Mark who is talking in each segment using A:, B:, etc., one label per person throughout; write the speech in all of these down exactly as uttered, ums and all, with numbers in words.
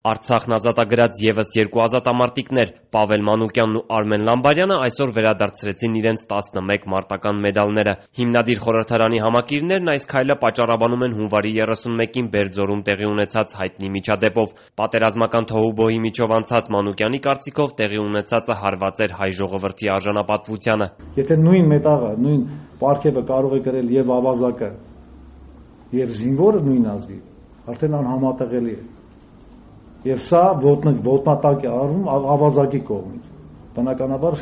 A: Արցախն ազատագրած ևս երկու ազատամարտիկներ՝ Պավել Մանուկյանն ու Արմեն Լամբարյանը այսօր վերադարձրեցին իրենց տասնմեկ մարտական մեդալները։ Հիմնադիր խորհրդարանի համակիրներն այս քայլը պատճառաբանում են հունվարի երեսունմեկին Բերձորում տեղի ունեցած հայտնի միջադեպով։ Պատերազմական թոհուբոհի միջով անցած Մանուկյանի կարծիքով տեղի ունեցածը հարված էր հայ ժողովրդի արժանապատվությանը։
B: Եթե նույն մետաղը, նույն պարգևը կարող է կրել եւ ավազակը, եւ զինվորը նույն ազգի, արդեն անհամատեղելի է։ Եվ սա ոտնատակ է արվում ավազակի կողմից։ Բնականաբար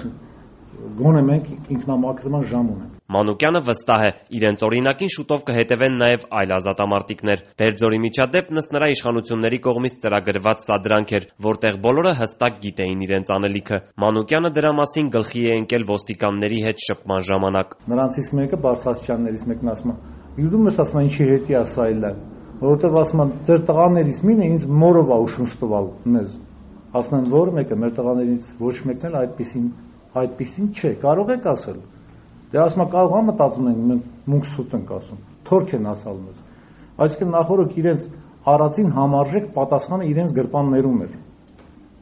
B: գոնե մենք ինքնամաքրման ժամ ունենք։
A: Մանուկյանը վստահ է, իրենց օրինակին շուտով կհետևեն նաև այլ ազատամարտիկներ։ Բերձորի միջադեպն ըստ նրա իշխանությունների կողմից ծրագրված սադրանք էր, որտեղ բոլորը հստակ գիտեին իրենց անելիքը։ Մանուկյանը դրա մասին գլխի է ընկել ոստիկանների հետ շփման ժամանակ։
B: Նրանցից մեկը բարձրաստիճաններից մեկն ասում է. «Յուդում ես ասում ինչի հետի է սա իլը, որովհետև ասում են ձեր տղաներից մինը ինձ մորով է ուշուն ստվալ մեզ»։ Ասում են որ մեկը մեր տղաներից ոչ մեկն էլ այդպեսին այդպեսին չէ, կարող եք ասել։ Դե ասում եմ կարող եմ մտածում ենք մենք մունք սուտ ենք ասում, թորք են ասալ մեզ։ Այսինքն նախորդ իրենց արածին համարժեք պատասխանը իրենց գրպաններում էր։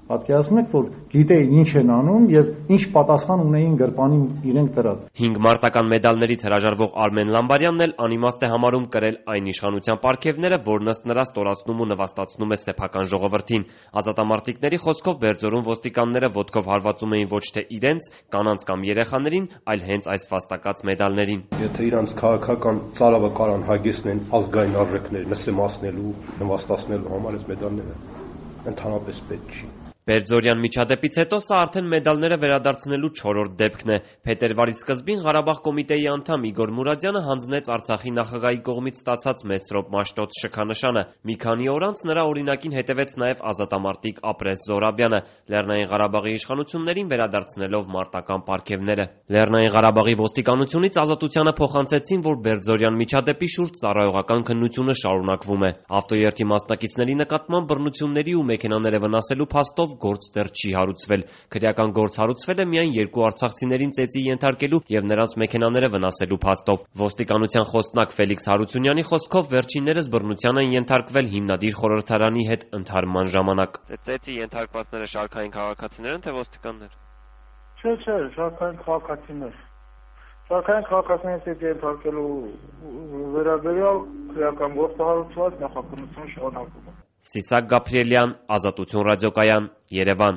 B: Պատկերացնում եք, որ գիտեին ինչ են անում եւ ինչ պատասխան ունեին գրպանին իրենք դրած։
A: Հինգ մարտական մեդալներից հրաժարվող Արմեն Լամբարյանն էլ անիմաստ է համարում կրել այն իշխանության պարգևները, որն ըստ նրա ստորացնում ու նվաստացնում է սեփական ժողովրդին։ Ազատամարտիկների խոսքով Բերձորում ոստիկանները ոտքով հարվածում էին ոչ թե իրենց, կանանց կամ երեխաներին, այլ հենց այս վաստակած մեդալներին։
C: Եթե իրանց քաղաքական ծարավը կարան հագեցնեն ազգային արժեքներ նսեմացնելու, նվաստացնելու համար այս մեդալները ընդհանրապես պետք չի։
A: Բերձորյան միջադեպից հետո սա արդեն մեդալները վերադարձնելու չորրորդ դեպքն է։ Փետրվարի սկզբին Ղարաբաղ կոմիտեի անդամ Իգոր Մուրադյանը հանձնեց Արցախի նախագահի կողմից ստացած Մեսրոպ Մաշտոց շքանշանը։ Մի քանի օր անց նրա օրինակին հետևեց նաև ազատամարտիկ Ապրես Զորաբյանը, Լեռնային Ղարաբաղի իշխանություններին վերադարձնելով մարտական պարգևները։ Լեռնային Ղարաբաղի ոստիկանությունից ազատությանը փոխանցեցին, որ Բերձորյան միջադեպի շուրջ ծառայողական քննությունը շարունակվում է։ Ավտոերթի մասնակիցների նկատմամբ բռնությունների ու մեքենաները վնասելու փաստով գործ դեռ չի հարուցվել։ Քրեական գործ հարուցվել է միայն երկու արցախցիներին ծեծի ենթարկելու եւ նրանց մեքենաները վնասելու փաստով։ Ոստիկանության խոսնակ Ֆելիքս Հարությունյանի խոսքով վերջիններս բռնության են ենթարկվել հիմնադիր խորհրդարանի հետ ընդհարման ժամանակ։ Ծեծի ենթարկվածները շարքային քաղաքացիներ են թե ոստիկաններ։
D: Չէ, չէ, շարքային քաղաքացիներ։ Շարքային քաղաքացիների ծեծի ենթարկելու վերաբերյալ քրեական գործ հարուցված նախաքննություն շարունակվում է։
A: Սիսակ Գաբրիելյան, Ազատություն ռադիոկայան, Երևան։